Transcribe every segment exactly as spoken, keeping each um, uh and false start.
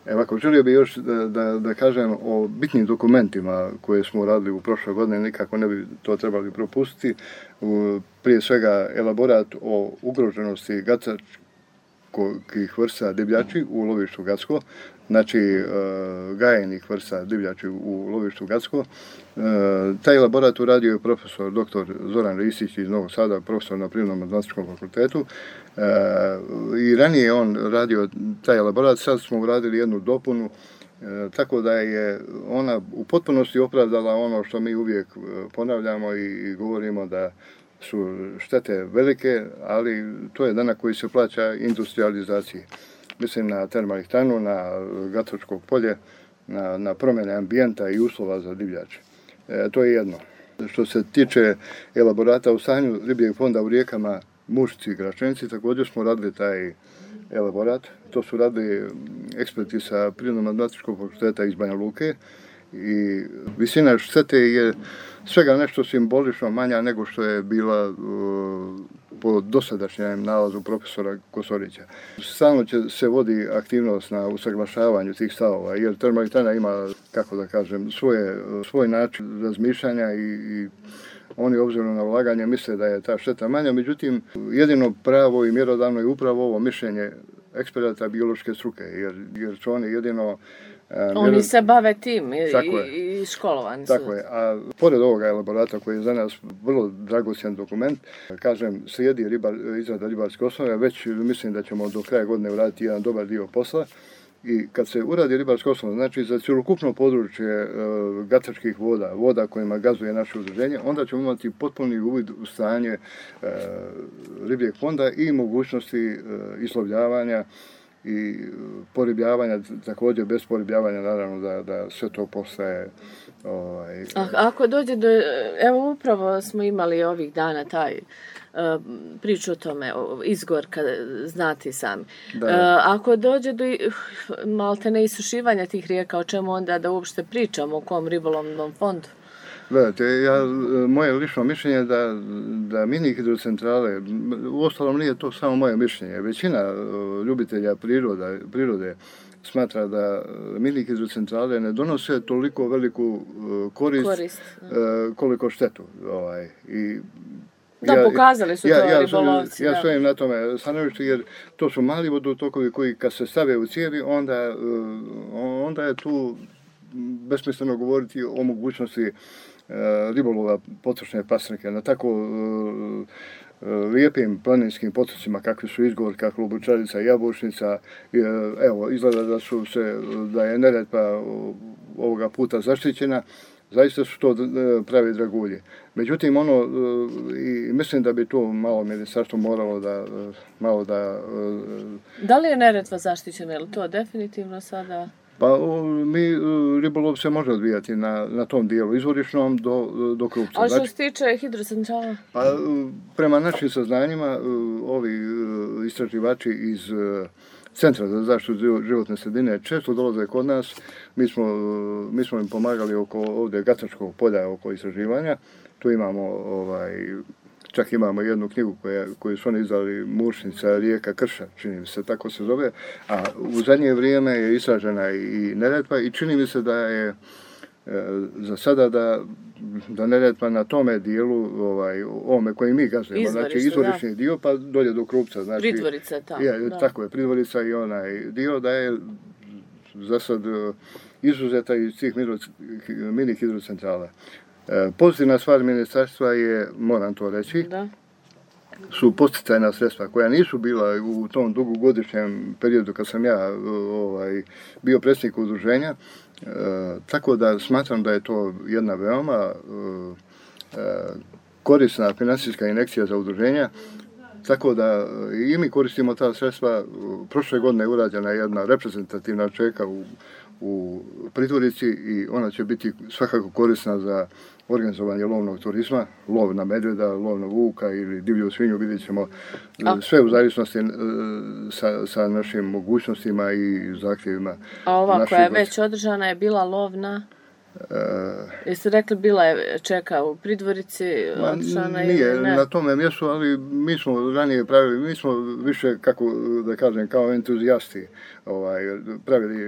Evo, ako želio bih još da, da, da kažem o bitnim dokumentima koje smo radili u prošloj godini, nikako ne bi to trebali propustiti. Prije svega elaborat o ugroženosti gacačkih vrsta divljači u lovištu Gacko, znači gajenih vrsta divljači u lovištu Gacko. Taj elaborat uradio je profesor doktor Zoran Ristić iz Novog Sada, profesor na Prirodno-matematičkom fakultetu. I ranije je on radio taj elaborat, sad smo uradili jednu dopunu, tako da je ona u potpunosti opravdala ono što mi uvijek ponavljamo i govorimo, da su štete velike, ali to je danak koji se plaća industrializaciji. Mislim na termoelektranu, na Gacačko polje, na, na promjene ambijenta i uslova za divljače. E, to je jedno. Što se tiče elaborata o stanju ribljeg fonda u rijekama Mušci i Gračenici, također smo radili taj elaborat. To su radili eksperti sa Prirodno-matematičkog fakulteta iz Banja Luke i visina štete je svega nešto simbolično manja nego što je bila uh, po dosadašnjem nalazu profesora Kosorića. Stalno će se vodi aktivnost na usaglašavanju tih stavova, jer termoelektrana ima, kako da kažem, svoje, svoj način razmišljanja i, i oni obzirom na ulaganje misle da je ta šteta manja, međutim jedino pravo i mjerodavno je upravo ovo mišljenje eksperata biološke struke, jer, jer su oni jedino... Oni mjerod... se bave tim i, i školovani su. Tako je, a pored ovoga elaborata koji je za nas vrlo dragocjen dokument, kažem, slijedi ribar, izrada ribarske osnove, već mislim da ćemo do kraja godine uraditi jedan dobar dio posla. I kad se uradi ribarska osnova, znači za cjelokupno područje e, gacačkih voda, voda kojima gazuje naše udruženje, onda ćemo imati potpuni uvid u stanje e, ribljeg fonda i mogućnosti e, islovljavanja i poribljavanja, također bez poribljavanja, naravno da, da sve to postaje... Ovaj, A, ako dođe do... Evo upravo smo imali ovih dana taj uh, priču o tome, o, izgor, kad znate sami. Uh, ako dođe do malte ne isušivanja tih rijeka, o čemu onda da uopšte pričamo, o kom ribolovnom fondu? Gledajte, ja, moje lično mišljenje je da, da mini hidrocentrale, uostalom nije to samo moje mišljenje, većina ljubitelja priroda, prirode smatra da mini hidrocentrale ne donose toliko veliku korist, korist koliko štetu. Ovaj. I da, ja, pokazali su ja, to ja, ribolovci. Ja stojim na tome stanovištu, jer to su mali vodotokovi koji kad se stave u cijevi, onda, onda je tu besmisleno govoriti o mogućnosti ribolova potočne pasrnike na tako uh, lijepim planinskim potocima kakvi su Izgor, kakva Lubučarica, Jabučnica. Evo, izgleda da su se, da je Neretva ovoga puta zaštićena. Zaista su to pravi dragulji. Međutim, ono, i mislim da bi tu malo ministarstvo moralo da... Malo da, da li je Neretva zaštićena, je li to definitivno sada... Pa mi, ribolov se može odvijati na, na tom dijelu, izvorišnom do, do Krupca. Ali što se tiče hidrocentrala? Pa prema našim saznanjima, ovi istraživači iz Centra za zaštitu životne sredine često dolaze kod nas. Mi smo, mi smo im pomagali oko ovdje Gacačkog polja oko istraživanja. Tu imamo ovaj, čak imamo jednu knjigu koja, koju su oni izdali, Mušnica, rijeka Krša, čini mi se, tako se zove, a u zadnje vrijeme je istražena i Neretva i čini mi se da je e, za sada da, da Neretva na tome dijelu, ovaj, ovome koji mi gazujemo, znači izvorišni dio pa dolje do Krupca. Znači, Pridvorica, ta, je, tako je, Pridvorica i onaj dio da je za sad izuzeta iz tih mini hidrocentrala. Pozitivna stvar ministarstva je, moram to reći, da. su podsticajna sredstva koja nisu bila u tom dugogodišnjem periodu kad sam ja ovaj, bio predsjednik udruženja, e, tako da smatram da je to jedna veoma e, korisna financijska injekcija za udruženja, tako da i mi koristimo ta sredstva. Prošle godine je urađena jedna reprezentativna čeka u, u Pridvorici i ona će biti svakako korisna za organizovanje lovnog turizma, lov na medvjeda, lov na vuka ili divlju svinju, vidjet ćemo sve u zavisnosti sa, sa našim mogućnostima i zahtjevima. A ova koja je već održana je bila lov na... Uh, Jeste rekli bila je čeka u Pridvorici, otišana nije ili ne? Na tome mjestu, ali mi smo ranije pravili, mi smo više, kako da kažem, kao entuzijasti ovaj, pravili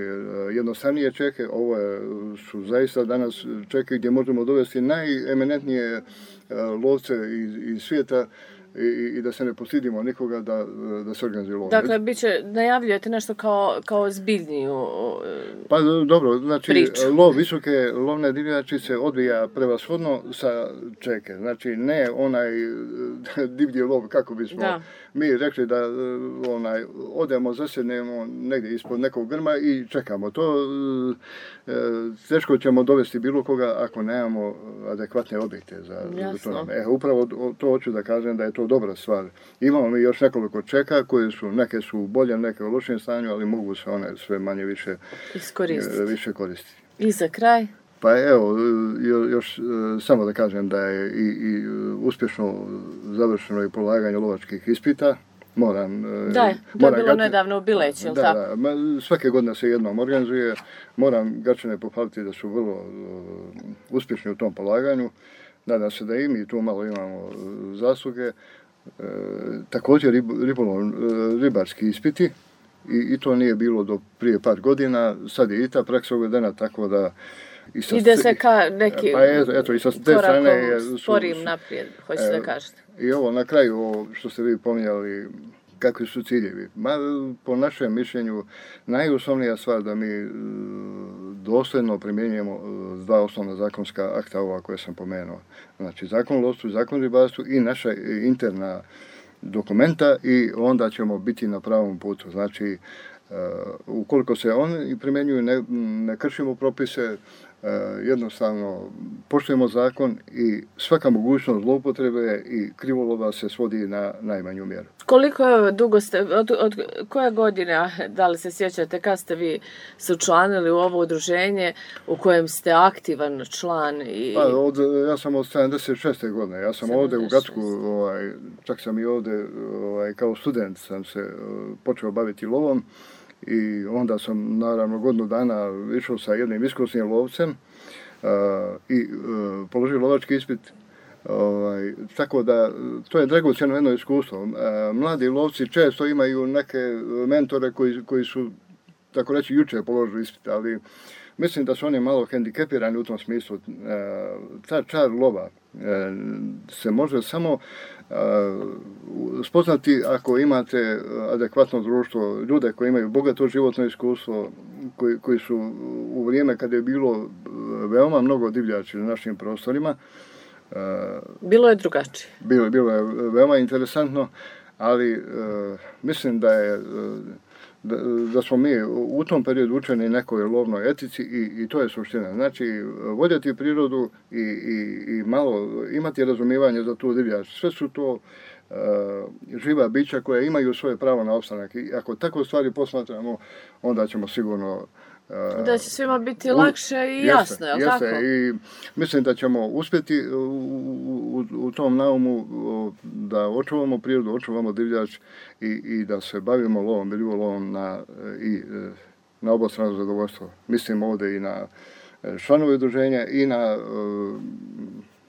jednostavnije čeke. Ovo je, su zaista danas čeke gdje možemo dovesti najeminentnije lovce iz, iz svijeta i, i da se ne postidimo nikoga da, da se organizuje lov. Dakle, biće, najavljujete nešto kao, kao zbiljniju Pa dobro, znači priču. Lov visoke lovne divljači se odvija prevashodno sa čeke. Znači ne onaj divlji lov kako bismo da. mi rekli da onaj odemo, zasjednemo negdje ispod nekog grma i čekamo. To e, teško ćemo dovesti bilo koga ako nemamo adekvatne objekte za, za to. E, upravo to hoću da kažem da je to dobra stvar. Imamo mi još nekoliko čeka koje su, neke su u boljem, neke u lošem stanju, ali mogu se one sve manje više iskoristiti. Više koristiti. I za kraj? Pa evo, još samo da kažem da je i, i uspješno završeno i polaganje lovačkih ispita. Moram, da, je, to je bilo gače, nedavno u Bileći, ili da, tako? Da, svake godine se jednom organizuje. Moram Gačane pohvaliti da su vrlo uh, uspješni u tom polaganju. Nadam se da i mi tu malo imamo zasluge. E, također rib, ribolov, ribarski ispiti i, i to nije bilo do prije par godina. Sad je i ta praksa uvedena, tako da i sa, ide se ka neki pa eto, eto, i sa te strane su, sporim naprijed, hoćete e, da kažete. I ovo na kraju, ovo što ste vi pominjali, kakvi su ciljevi. Ma, po našem mišljenju, najosnovnija stvar da mi dosljedno primjenjujemo dva osnovna zakonska akta ova koje sam pomenuo. Znači, zakon o lovstvu, zakon o ribarstvu i naša interna dokumenta i onda ćemo biti na pravom putu. Znači, uh, ukoliko se oni primjenjuju, ne, ne kršimo propise, Uh, jednostavno poštujemo zakon i svaka mogućnost zloupotrebe i krivolova se svodi na najmanju mjeru. Koliko dugo ste, od, od koje godine, da li se sjećate, kad ste vi se učlanili u ovo udruženje u kojem ste aktivan član? I... Pa, od, ja sam od sedamdeset šeste godine, ja sam ovdje u Gacku, ovaj, čak sam i ovdje ovaj, kao student sam se uh, počeo baviti lovom. I onda sam naravno godinu dana išao sa jednim iskusnim lovcem uh, i uh, položio lovački ispit. Ovaj, tako da to je dragocjeno jedno iskustvo. Uh, mladi lovci često imaju neke mentore koji, koji su, tako reći, jučer položili ispit, ali mislim da su oni malo hendikepirani u tom smislu. Uh, ta čar lova uh, se može samo Uh, spoznati ako imate adekvatno društvo, ljude koji imaju bogato životno iskustvo, koji, koji su u vrijeme kada je bilo veoma mnogo divljači na našim prostorima. Uh, bilo je drugačije. Bilo, bilo je veoma interesantno, ali uh, mislim da je uh, da, da smo mi u tom periodu učeni nekoj lovnoj etici i, i to je suština. Znači, voljeti prirodu i, i, i malo imati razumijevanje za tu divljač. Sve su to uh, živa bića koja imaju svoje pravo na opstanak. I ako tako stvari posmatramo, onda ćemo sigurno Uh, da će svima biti lakše i jeste, jasno, je li jeste. tako? I mislim da ćemo uspjeti u, u, u tom naumu da očuvamo prirodu, očuvamo divljač i, i da se bavimo lovom i ribolovom na, i, na obostrano zadovoljstvo. Mislim ovdje i na članove udruženja i na uh,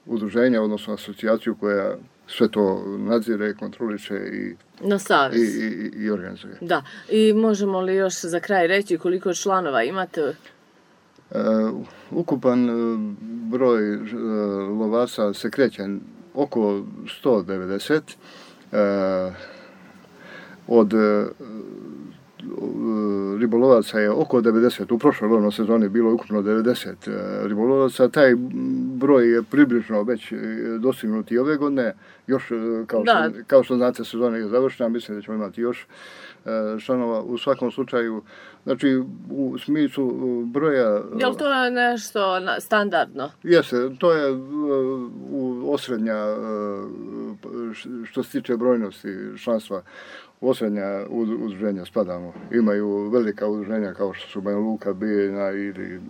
udruženja, odnosno asocijaciju koja sve to nadzire, kontroliše i, na savez. i, i, i organizuje. Da. I možemo li još za kraj reći koliko članova imate? Uh, ukupan uh, broj uh, lovaca se kreće oko sto devedeset. Uh, od uh, ribolovaca je oko devedeset, u prošloj lovnoj sezoni bilo je ukupno devedeset ribolovaca, taj broj je približno već dostignut i ove godine, još kao što, kao što znate sezona je završena, mislim da ćemo imati još članova u svakom slučaju, znači u smislu broja... Je li to nešto standardno? Jeste, to je u osrednja što se tiče brojnosti članstva. Osrednja udruženja spadamo. Imaju velika udruženja kao što su Banja Luka, Bijeljina ili...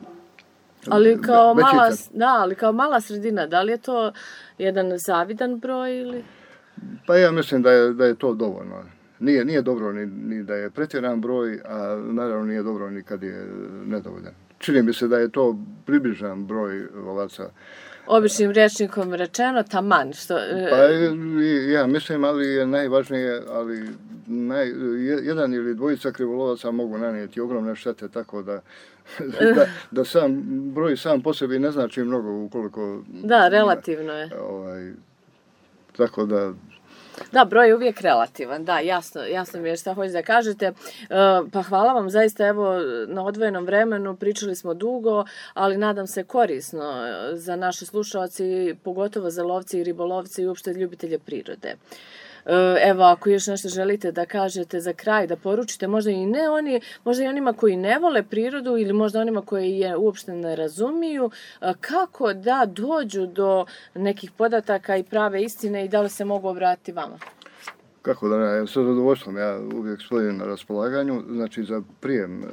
Ali kao, mala, da, ali kao mala sredina, da li je to jedan zavidan broj ili... Pa ja mislim da je, da je to dovoljno. nije, nije dobro ni, ni da je pretjeran broj, a naravno nije dobro ni kad je nedovoljan. Čini mi se da je to približan broj lovaca. Običnim rječnikom rečeno, taman. Što... Pa ja mislim, ali je najvažnije, ali naj, jedan ili dvojica krivolovaca mogu nanijeti ogromne štete, tako da, da, da sam broj sam po sebi ne znači mnogo ukoliko... Da, relativno je. Ovaj, tako da... Da, broj je uvijek relativan, da, jasno, jasno mi je šta hoćete da kažete. E, pa hvala vam zaista, evo, na odvojenom vremenu, pričali smo dugo, ali nadam se korisno za naše slušalci, pogotovo za lovci i ribolovci i uopšte ljubitelje prirode. Evo, ako još nešto želite da kažete za kraj, da poručite, možda i ne oni, možda i onima koji ne vole prirodu ili možda onima koji je uopšte ne razumiju, kako da dođu do nekih podataka i prave istine i da li se mogu obratiti vama? Kako da ne, sa zadovoljstvom, ja uvijek stojim na raspolaganju, znači za prijem e,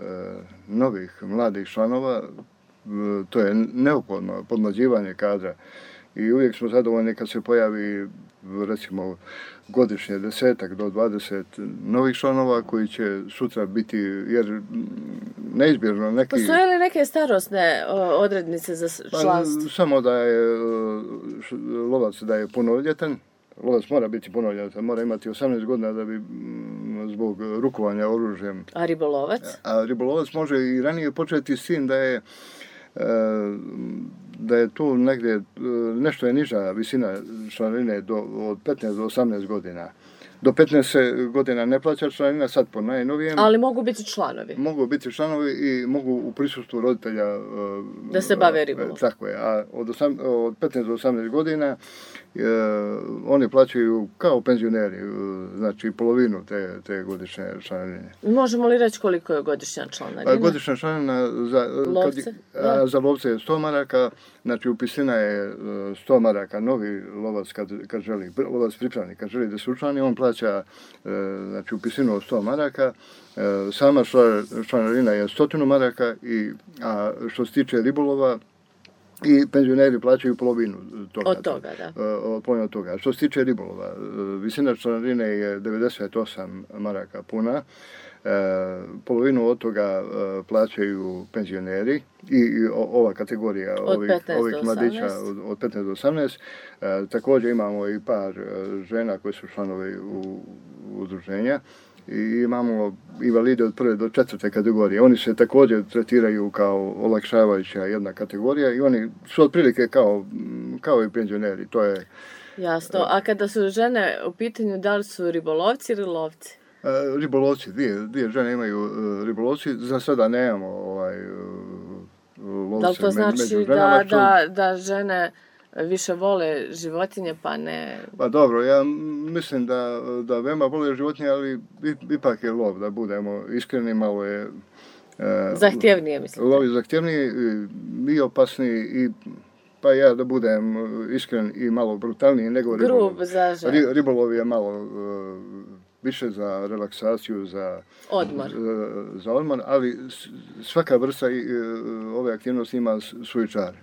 novih mladih članova, e, to je neophodno podmlađivanje kadra i uvijek smo zadovoljni kad se pojavi recimo godišnje desetak do dvadeset novih članova koji će sutra biti, jer neizbježno neki... Postoje li neke starosne odrednice za članstvo? Pa, samo da je lovac da je punoljetan, lovac mora biti punoljetan, mora imati osamnaest godina da bi zbog rukovanja oružjem... A ribolovac? A ribolovac može i ranije početi s tim da je da je tu negdje, nešto je niža visina članarine do, od petnaest do osamnaest godina. Do petnaest godina ne plaća članarina, sad po najnovijem. Ali mogu biti članovi? Mogu biti članovi i mogu u prisustvu roditelja... Da se bave ribolovom. Tako je, a od, osam, od petnaest do osamnaest godina e, oni plaćaju kao penzioneri, znači polovinu te, te godišnje članarine. Možemo li reći koliko je godišnja članarina? Godišnja članarina za lovce, kad, za lovce je sto maraka, znači upisina je sto maraka, novi lovac kad, kad želi, lovac pripravnik kad želi da se učlani, on plaća znači upisinu od sto maraka, sama članarina je stotinu maraka, i, a što se tiče ribolova, i penzioneri plaćaju polovinu toga. Od toga, da. Od polovinu od toga. Što se tiče ribolova, visina članarine je devedeset osam maraka puna, e, polovinu od toga e, plaćaju penzioneri i, i ova kategorija od ovih, ovih mladića od, od petnaest do osamnaest. E, također imamo i par žena koji su članovi u, u udruženja. I imamo invalide od prve do četvrte kategorije. Oni se također tretiraju kao olakšavajuća jedna kategorija i oni su otprilike kao, kao i penzioneri. To je... Jasno. A kada su žene u pitanju, da li su ribolovci ili lovci? Ribolovci, dvije, dvije žene imaju ribolovci. Za sada nemamo ovaj, lovce. Da li to znači među ženama, da, što... da, da žene više vole životinje, pa ne... Pa dobro, ja mislim da, da veoma vole životinje, ali ipak je lov, da budemo iskreni, malo je... E, zahtjevnije, mislim. Lov je zahtjevniji i opasniji, i pa ja da budem iskren i malo brutalniji nego ribolov. Grub za žene. Ribolov je malo uh, više za relaksaciju, za odmor. Za, za odmor, ali svaka vrsta uh, ove aktivnosti ima svoj čar.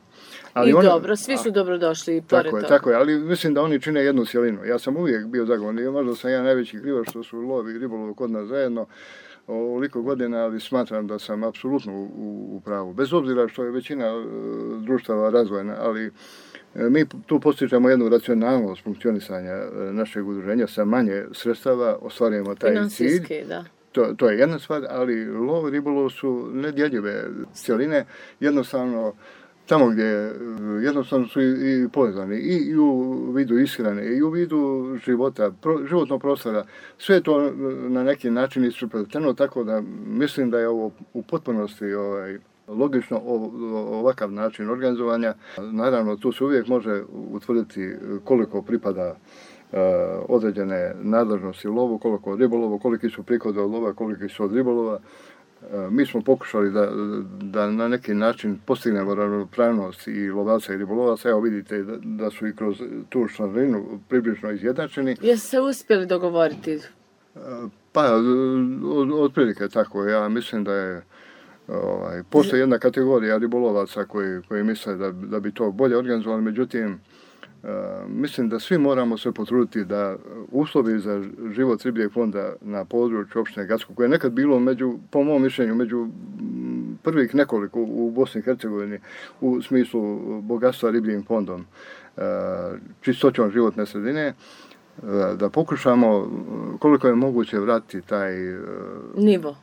Ali I one, dobro, svi su dobro došli i pored tako je, toga. Tako je, ali mislim da oni čine jednu cjelinu. Ja sam uvijek bio zagovornik, možda sam ja najveći krivac što su lov i ribolov kod nas zajedno ovoliko godina, ali smatram da sam apsolutno u, u pravu. Bez obzira što je većina uh, društava razvojna, ali uh, mi tu postižemo jednu racionalnost funkcionisanja uh, našeg udruženja, sa manje sredstava ostvarujemo taj cilj. Da. To, to je jedna stvar, ali lov i ribolov su nedjeljive cjeline, jednostavno tamo gdje jednostavno su i, i povezani i, i u vidu ishrane i u vidu života, pro, životnog prostora, sve je to na neki način isprepleteno, tako da mislim da je ovo u potpunosti ovaj, logično o, ovakav način organizovanja. Naravno, tu se uvijek može utvrditi koliko pripada uh, određene nadležnosti lovu, koliko od ribolovu, koliki su prihodi od lova, koliki su od ribolova. Mi smo pokušali da, da na neki način postignemo ravnopravnost i lovaca i ribolovaca. Evo vidite da, da su i kroz tu članarinu približno izjednačeni. Jeste se uspjeli dogovoriti? Pa, od, otprilike tako. Ja mislim da je ovaj, postoji jedna kategorija ribolovaca koji, koji misle da, da bi to bolje organizovali, međutim mislim da svi moramo se potruditi da uslovi za život ribljeg fonda na području opštine Gacko, koje je nekad bilo među, po mom mišljenju, među prvih nekoliko u Bosni i Hercegovini u smislu bogatstva ribljim fondom, čistoćom životne sredine, da pokušamo koliko je moguće vratiti taj nivo.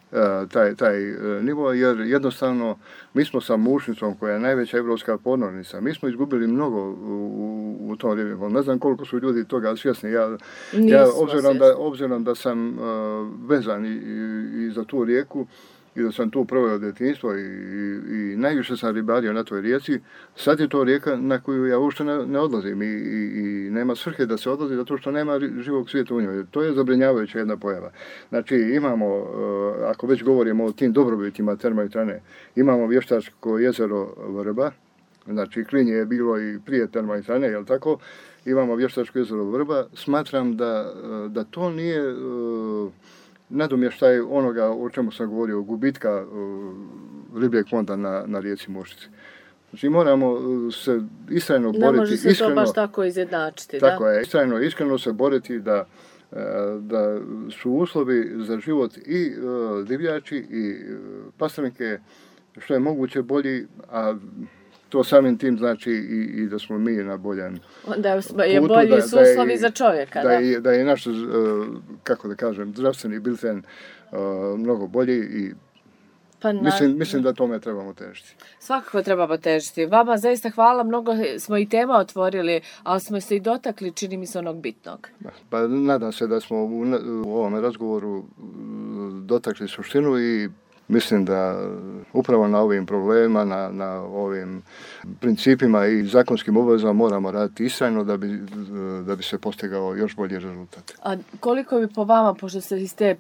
Taj, taj nivo, jer jednostavno mi smo sa Mušnicom, koja je najveća evropska podmornica, mi smo izgubili mnogo u, u tom ribljom fondu. Ne znam koliko su ljudi toga svjesni. Ja, ja obzirom, da, obzirom da sam uh, vezan i, i, i za tu rijeku, i da sam tu proveo djetinjstvo i, i, i najviše sam ribario na toj rijeci, sad je to rijeka na koju ja uopšte ne, ne odlazim i, i, i nema svrhe da se odlazi zato što nema živog svijeta u njoj. To je zabrinjavajuća jedna pojava. Znači imamo, ako već govorimo o tim dobrobitima termoelektrane, imamo vještačko jezero Vrba, znači Klinje je bilo i prije termoelektrane, jel tako? Imamo vještačko jezero Vrba. Smatram da, da to nije nadomještaj onoga o čemu sam govorio, gubitka uh, ribljeg fonda na, na rijeci Mušnici. Znači moramo se istrajno boriti. Ne može se iskreno, to baš tako izjednačiti. Tako da? je, istrajno, iskreno se boriti da, da su uslovi za život i uh, divljači i uh, pastrnike što je moguće bolji, a to samim tim znači i, i da smo mi na boljem da je putu, bolji da, su uslovi da za čovjeka. Da, da. Je, da je naš, uh, kako da kažem, zdravstveni bilten uh, mnogo bolji i pa na... mislim, mislim da tome trebamo težiti. Svakako trebamo težiti. Vama zaista hvala, mnogo smo i tema otvorili, ali smo se i dotakli, čini mi se, onog bitnog. Pa nadam se da smo u, u ovom razgovoru dotakli suštinu i mislim da upravo na ovim problemima, na, na ovim principima i zakonskim obavezama moramo raditi istrajno da bi, da bi se postigao još bolji rezultat. A koliko bi po vama, pošto se iz te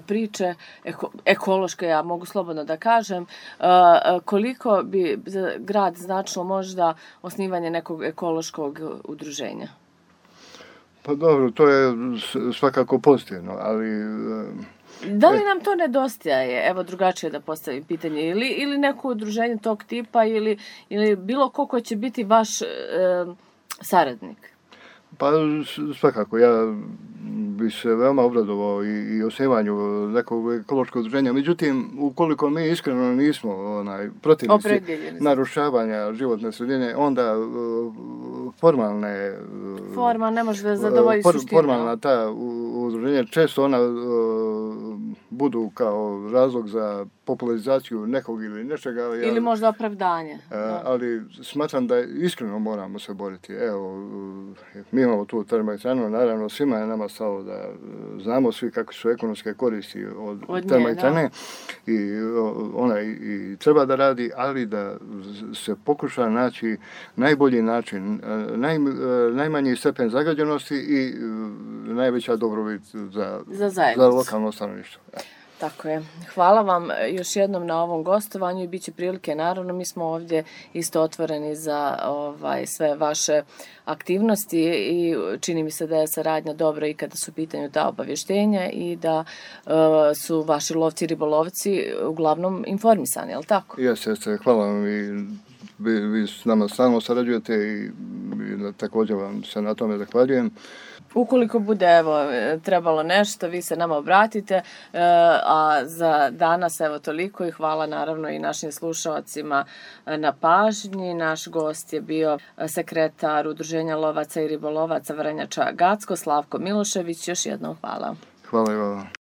priče eko, ekološke, ja mogu slobodno da kažem, koliko bi za grad značilo možda osnivanje nekog ekološkog udruženja? Pa dobro, to je svakako pozitivno, ali... Da li nam to nedostaje, evo drugačije da postavim pitanje, ili, ili neko udruženje tog tipa ili, ili bilo ko ko će biti vaš e, saradnik? Pa svakako, ja bi se veoma obradovao i, i osnivanju nekog ekološkog udruženja. Međutim, ukoliko mi iskreno nismo onaj, protivnici narušavanja životne sredine, onda uh, formalne... Uh, Forma ne može da zadovolji for, suštinu. Formalna ta udruženja, često ona uh, budu kao razlog za popularizaciju nekog ili nečega. Ili ja, možda opravdanje. Uh, ali smatram da iskreno moramo se boriti. Evo, uh, mi imamo tu termoelektranu, naravno svima je nama stalo da znamo svi kakve su ekonomske koristi od, od termoelektrane i ona i, i treba da radi, ali da se pokuša naći najbolji način, naj, najmanji stepen zagađenosti i najveća dobrobit za, za, za lokalno stanovništvo. Tako je. Hvala vam još jednom na ovom gostovanju i bit će prilike, naravno, mi smo ovdje isto otvoreni za ovaj, sve vaše aktivnosti i čini mi se da je saradnja dobra i kada su u pitanju ta obavještenja i da uh, su vaši lovci i ribolovci uglavnom informisani, je li tako? Jeste, jeste. Hvala vam i vi, vi s nama stalno sarađujete i, i također vam se na tome zahvaljujem. Ukoliko bude evo trebalo nešto, vi se nama obratite, a za danas evo toliko i hvala naravno i našim slušalcima na pažnji. Naš gost je bio sekretar Udruženja lovaca i ribolovaca Vrnjača Gacko, Slavko Milošević. Još jednom hvala. Hvala i vama.